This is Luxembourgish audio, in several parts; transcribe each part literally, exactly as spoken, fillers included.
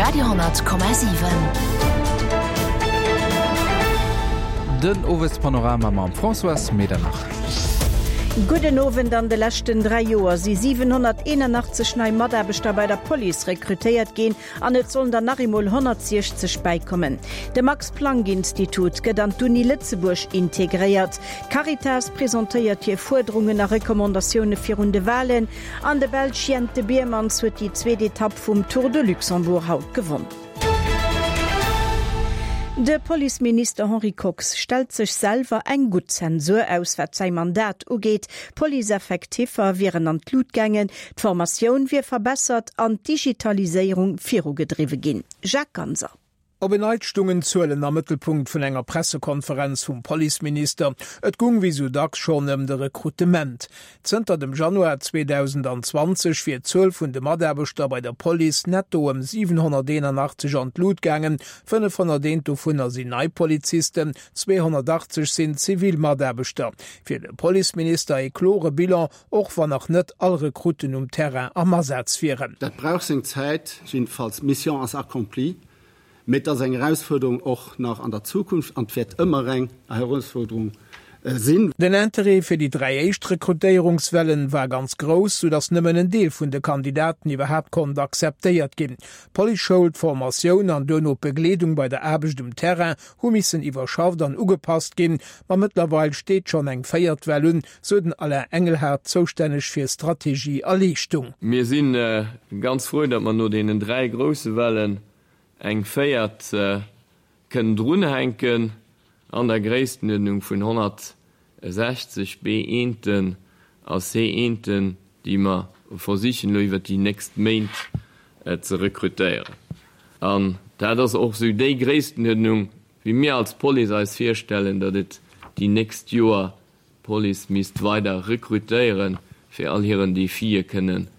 Radio honnert Komma siwen. Den Owespanorama mam Françoise Medernach. Gudden Owend, An de leschten dräi Joer si siwenhonnerteenanachtzeg nei Mataarbechter bei der Police rekrutéiert ginn an et sollen der nach emol honnertsiechzeg bäikommen. De Max-Planck-Institut gëtt an d'Uni Lëtzebuerg integréiert. D'Caritas presentéiert hir Fuerderungen a Recommandatioune virun de Walen an de Belsch Jente Biermans huet déi zweet Etapp vum Tour de Luxembourg haut gewonn. De Policeminister Henri Kox stellt sech selwer eng gutt Zensur aus, wat säi Mandat ugeet. D'Police-Effektiffer wieren an d'Lut gaangen, d'Formatioun wier verbessert an d'Digitaliséierung virugedriwwe ginn. Jacques Ganser. Op en Neits stungen d'Zuelen am Mëttelpunkt vun enger Pressekonferenz vum Policeminister. Et gung wéi sou dacks schonn ëm de Rekrutement. Zënter dem Januar zweedausendzwanzeg wier d'Zuel vun de Mataarbechter bei der Police netto ëm siwenhonnerteenanachtzeg an d'Lut gaangen, fënnefhonnerteent dovunner sinn nei Polizisten, zweehonnertachtzeg sinn zivil Mataarbechter. Fir de Policeminister ee klore Bilan, och wann nach net all Rekrutten um Terrain am Asaz wieren. Dat brauch seng Zäit, jiddefalls d'Mission ass accomplie. Mee et ass eng Erausfuerderung och nach an der Zukunft an et wäert ëmmer eng Erausfuerderung sinn. Den Interêt fir déi dräi éischt Rekrutéierungswellen war ganz grouss, sou datt nëmmen en Deel vun de Kandidaten iwwerhaapt konnt akzeptéiert ginn. D'Policeschoul, d'Formatioun an duerno d'Begleedung bei der Aarbecht um Terrain hu missen iwwerschafft an ugepasst ginn. Ma mëttlerweil steet schonn eng véiert Well un, sou den Alain Engelhardt, zoustänneg fir Strategie a Leeschtung. Mir si ganz frou, datt mer no deenen dräi grousse Wellen eng véiert kënnen drunhänken an der Gréisstenuerdnung vun honnertsechzeg B-Eenten a C-Eenten, déi mer versichen elo iwwert déi nächst Méint ze rekrutéieren. An dat ass och esou déi Gréisstenuerdnung, wéi mir als Police eis virstellen, datt et déi nächst Joer d'Police misst weider rekrutéieren, fir all hiren Defie kënnen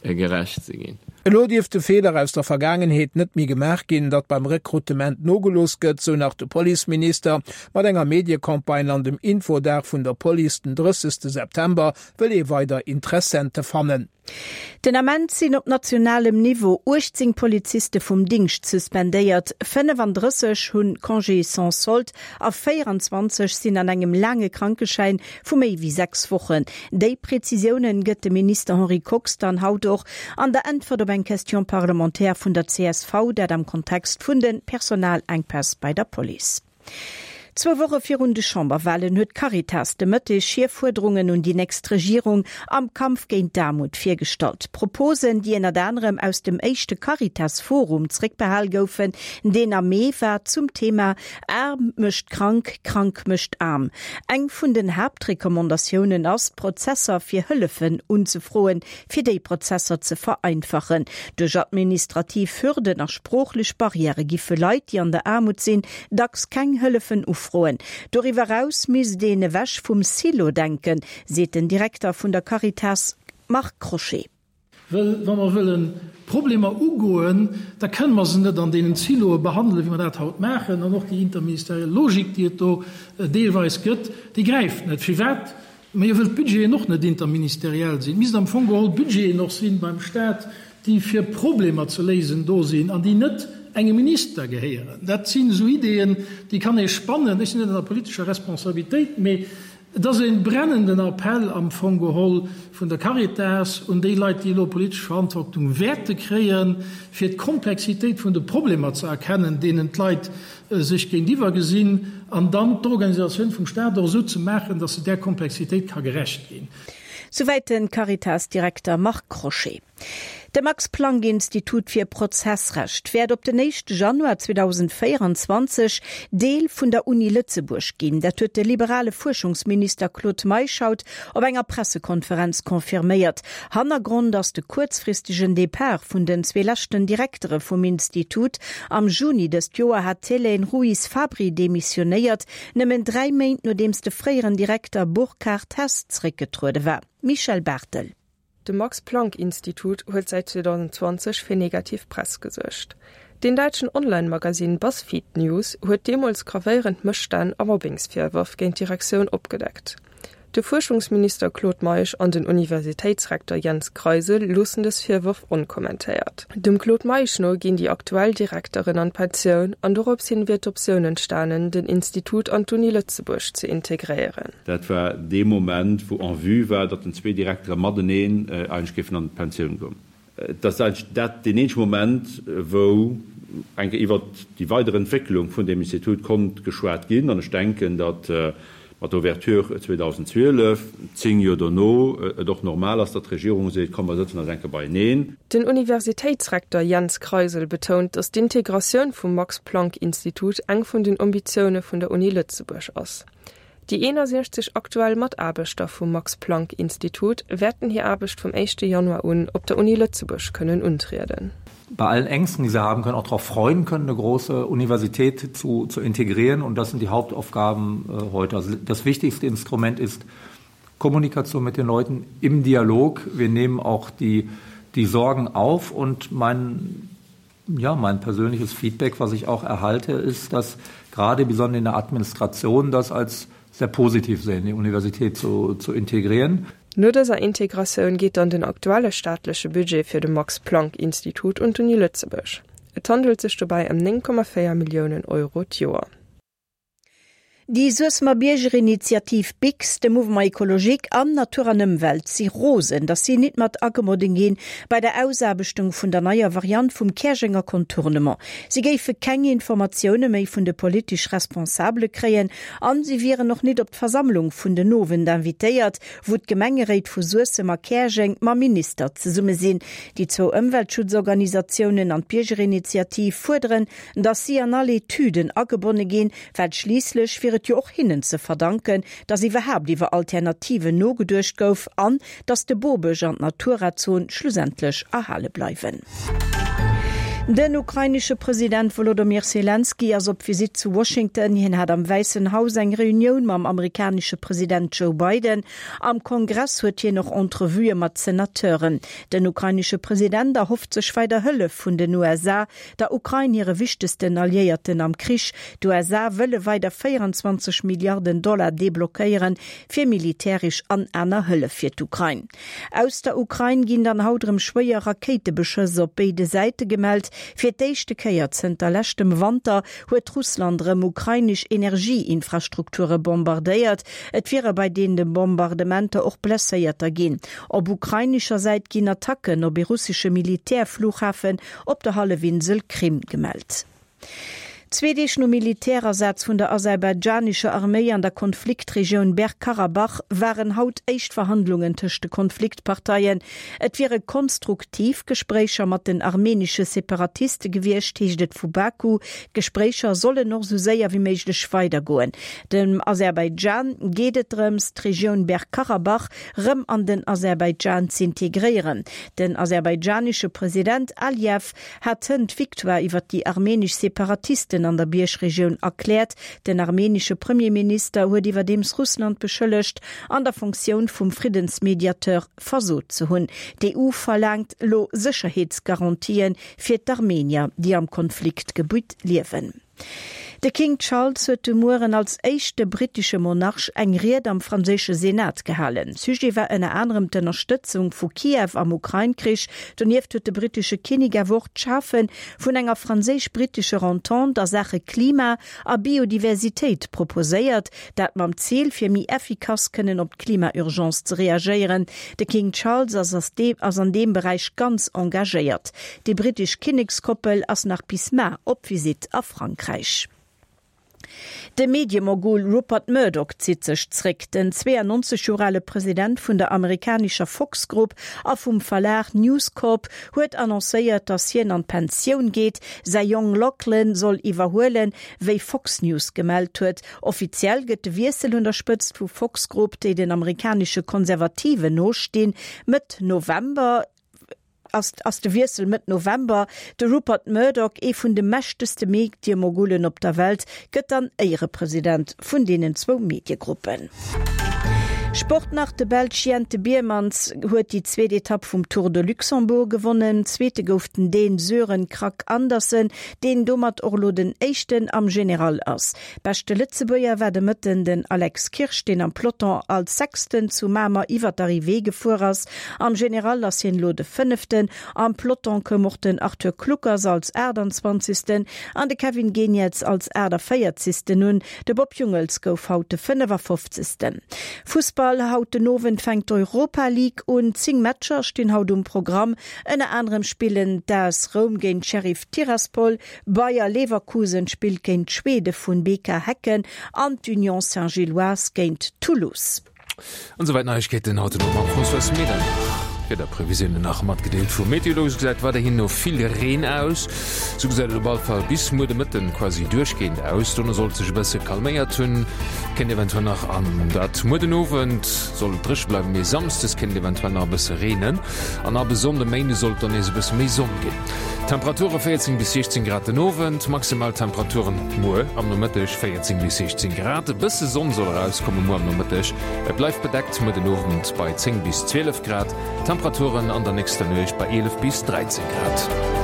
gerecht ze ginn. Elo dierf de Feeler aus der Vergaangenheet net méi gemaach ginn, datt beim Rekrutement nogelooss gëtt, sou nach de Policeminister. Mat enger Mediecampagne an dem Infodag vun der Police den drëssegste September wëll ee weider Interessente fannen. Den Ament sinn op nationalem Niveau uechtzéng Poliziste vum Dingscht suspendéiert, fënnefandrësseg hunn Congé sans solde a véieranzwanzeg sinn an engem laange Krankeschäin vu méi wéi sechs Wochen. Déi Prezisiounen gëtt de Minister Henri Kox dann haut och an der Äntwert op eng Question parlementaire vun der C S V, dat am Kontext vun de Personalenkpäss bei der Police. Zwou Woche virun de Chamberwalen huet d'Caritas de Mëtteg hir Fuerderungen un déi nächst Regierung am Kampf géint d'Aarmut virgestallt. Proposen, déi ënnert anerem aus dem éischte Caritas-Forum zréckbehal goufen, deen am Mee war zum Thema Aarm mécht krank, krank mécht aarm. Eng vun den Haaptrecommandatiounen ass, d'Prozesser fir Hëllefen unzefroen, fir déi Prozesser ze vereinfachen. Duerch administrativ Hürden a sproochlech Barrièrë giffe Leit, déi an der Aarmut sinn, dacks keng Hëllefen ufroen. Doriwwer eraus misst een ewech vum Silo-Denken, seet den Direkter vun der Caritas Marc Crochet. Well wa mer wëlle Problemer ugoen, da kënne mer se net an deenen Siloe behandelen, wéi mer dat haut maachen. An och déi interministeriell Logik, déi et do deelweis gëtt, déi gräift net. Firwat? Majo, wëll d'Budgeten och net interministeriell sinn. Et misst am Fong geholl Budgeten och sinn beim Stat, déi fir Problemer ze léisen do sinn an déi net engem Minister gehéieren. Dat sinn esou Ideeën, déi kann ee spannen. Ech sinn net an der politescher Responsabilitéit, mee et ass e brennenden Appell am Fong geholl vun der Caritas un déi Leit, déi elo politesch Verantwortung wäerte kréien, fir d'Komplexitéit vun de Problemer ze erkennen, deenen d'Leit sech géintiwwer gesinn, an dann d'Organisatioun vum Stat och esou ze maachen, datt se där Komplexitéit ka gerecht ginn. Souwäit de Caritas-Direkter Marc Crochet. De Max-Planck-Institut fir Prozessrecht wäert op den éischte Januar zweedausendvéieranzwanzeg Deel vun der Uni Lëtzebuerg ginn. Dat huet de liberale Fuerschungsminister Claude Meisch haut op enger Pressekonferenz confirméiert. Hannergrond ass de kuerzfristegen Depart vun den zwee leschten Direktere vum Institut. Am Juni dëst Joer hat d'Hélène Ruiz-Fabri demissionéiert, nëmmen dräi Méint nodeems de fréieren Direkter Burkhard Hess zréckgetruede war. Michèle Barthel. De Max-Planck-Institut huet säit zweedausendzwanzeg fir negativ Press gesuergt. Den däitschen Online-Magasinn BuzzFeed News huet deemools gravéierend Mësstänn a Mobbingsvirwërf géint d'Direktioun opgedeckt. De Fuerschungsminister Claude Meisch an den Universitéitsrektor Jens Kreisel loossen dës Virwërf onkommentéiert. Dem Claude Meisch no ginn déi aktuell Direkteren an d'Pensioun an dorops hin wier d'Optioun entstanen, den Institut an d'Uni Lëtzebuerg ze integréieren. Dat war dee Moment, wou en vue war, datt den zwee Direktere mateneen eigentlech géifen an d'Pensioun goen. Et ass eigentlech dat deen eenzege Moment, wou eng Kéier iwwert déi weider Entwécklung vun deem Institut konnt geschwat ginn. An ech denken, datt mat der Ouverture zweedausendzwielef, zéng Joer dono, et och normal ass, datt d'Regierung seet, Komm, mer sëtzen eis eng Kéier beieneen. Den Universitéitsrektor Jens Kreisel betount, datt d'Integratioun vum Max-Planck-Institut eng vun den Ambitioune vun der Uni Lëtzebuerg ass. Déi eenasiechzeg aktuell Mataarbechter vum Max-Planck-Institut wäerten hir Aarbecht vum éischte Januar un op der Uni Lëtzebuerg kënnen untrieden. Bei allen Ängsten, die sie haben können, auch darauf freuen können, eine große Universität zu, zu integrieren. Und das sind die Hauptaufgaben äh, heute. Also das wichtigste Instrument ist Kommunikation mit den Leuten im Dialog. Wir nehmen auch die, die Sorgen auf und mein, ja, mein persönliches Feedback, was ich auch erhalte, ist, dass gerade besonders in der Administration das als sehr positiv sehen, die Universität zu, zu integrieren. No dëser Integratioun geet dann den aktuelle staatleche Budget fir de Max-Planck-Institut un d'Uni Lëtzebuerg. Et handelt sech dobäi ëm néng Komma véier Milliounen Euro d'Joer. Déi Suessemer Biergerinitiativ BIGS, de Mouvement Ecologique an Natur an Ëmwelt si rosen, datt si nit mat agebonne ginn bei der Ausaarbechtung vun der neier Variant vum Käerjenger Contournement. Si géife keng Informatioune méi vun de politesch Responsabele kréien an si wieren och nit op d'Versammlung vun den Owend invitéiert, wou d'Gemengeréit vu Suessem a Käerjeng mam Minister zesumme sinn. Déi zwou Ëmweltschutzorganisatiounen an d'Biergerinitiativ fuerderen, datt si an all Etüden agebonne ginn, well schliisslech wier et jo och hinnen ze verdanken, datt iwwerhaapt iwwer Alternativen nogeduecht gouf an datt de Bobësch an d'Natura-Zon schlussendlech erhale bleiwen. Den ukrainesche President Wolodomyr Selenskyj ass op Visitt zu Washington. Hien hat am Wäissen Haus eng Reunioun mam amerikanesche President Joe Biden. Am Kongress huet hien och Entrevuë mat Senateuren. Den ukrainesche President erhofft sech weider Hëllef vun den U S A, der Ukrain hire wichtegsten Alliéierten am Krich. D'U S A wëlle weider véierundzwanzeg Milliarden Dollar deblockéieren fir militäresch an aner Hëllef fir d'Ukrain. Aus der Ukrain ginn dann haut erëm schwéier Rakéitebeschëss op béide Säite gemellt. Fir d'éischte Kéier zënter leschtem Wanter huet Russland erëm ukrainesch Energieinfrastrukture bombardéiert. Et wiere bei deene Bombardementer och Blesséierter ginn. Op ukrainescher Säit ginn Attacken op e russesche Militärflughafen op der Hallefinsel Krim gemellt. Zwee Deeg nom Militärasaz vun der aserbaidschanescher Arméi an der Konfliktregioun Bergkarabach waren haut éischt Verhandlungen tëscht de Konfliktparteien. Et wiere konstruktiv Gespréicher mat den armenesche Separatiste gewiescht, heescht et vu Baku. D'Gespréicher sollen och sou séier wéi méiglech weidergoen. Dem Aserbaidschan geet et drëms, d'Regioun Bergkarabach rëm an den Aserbaidschan z'integréieren. Den aserbaidschanesche President Aliyev hat hënt d'Victoire iwwer déi armenesch Separatisten an der Biergregioun erkläert. Den armenesche Premierminister huet iwwerdeems Russland beschëllegt, an der Funktioun vum Friddensmediateur versot ze hunn. D'E U verlaangt elo Sécherheetsgarantien fir d'Armenier, déi am Konfliktgebitt liewen. De King Charles huet de Mueren als éischte brittesche Monarch eng Ried am franséische Senat gehalen. Sujet war ënner anerem d'Ënnerstëtzung vu Kiew am Ukrain-Krich. Donieft huet de brittesche Kinnek awer och d'Schafe vun enger franséisch-brittescher Entente a Saache Klima a Biodiversitéit proposéiert, dat mam Zil fir méi effikass kënnen op d'Klima-Urgence ze reagéieren. De King Charles ass ass an deem Beräich ganz engagéiert. Déi brittesch Kinnekskoppel ass nach bis mar op Visitt a Frankräich. De Mediemogul Rupert Murdoch zitt sech zréck. Den zweiundneunzeg Joer ale President vun der amerikanescher Fox Group a vum Verlag News Corp huet annoncéiert, datt hien an d'Pensioun geet. Säi Jong Lachlan soll iwwerhuelen, wéi Fox News gemellt huet. Offiziell gëtt de Wiessel un der Spëtzt vu Fox Group, déi den amerikanesche Konservativen nostinn, Mëtt November ass, ass de Wiessel Mëtt November. De Rupert Murdoch, ee vun de mächtegste Mediemogulen op der Welt, gëtt dann Éierepresident vun deenen zwou Mediegruppen. Sport nach, De Belsch Jente Biermans huet déi zweet Etapp vum Tour de Luxembourg gewonnen. Zweete gouf den Dän Sören Kragh Andersen, deen domat och elo den Éischten am General ass. Beschte Lëtzebuerger war de Mëtten den Alex Kirsch, deen am Peloton als Sechsten zu Mamer iwwer d'Arrivée gefuer ass. Am General ass hien elo de Fënneften. Am Peloton koum och den Arthur Kluckers als Aachtanzwanzegsten an de Kevin Geniets als Aachtavéierzegsten un. De Bob Jungels gouf haut de Fënnefafofzegsten. Fussball, Haut den Owend fänkt d'Europa League un. Zéng Matcher stinn haut um Programm. Ënner anerem spillen d'AS Roum géint Sheriff Tiraspol, Bayer Leverkusen spillt géint d'Schwede vun B K Häcken an d'Union Saint-Gilloise géint Toulouse. An souwäit Neiegkeeten haut den Owend mam Françoise Medernach. D'Wiederprevisiounen nach matgedeelt vu Meteolux. Gesäit weiderhin no vill Reen aus. Sou gesäit et op all Fall bis muer de Mëtten quasi duerchgehend aus. Dono sollt sech e bësse calméiert hunn, kéint eventuell nach an dat muer den Owend soll et dréche bleiwen, mee samsdes kéint et eventuell nach e bësse reenen an ab e Sonnde Méinde sollt dann nees e bësse méi Sonn ginn. Temperature véierzéng bis siechzéng Grad den Owend, maximal Temperaturen muer am Nomëtteg véierzéng bis siechzéng Grad. E bësse Sonn soll erauskomme muer am Nomëtteg, et bleift bedeckt muer den Owend bei zéng bis zwielef Grad, Temperaturen an der nächster Nuecht bei eelef bis dräizéng Grad.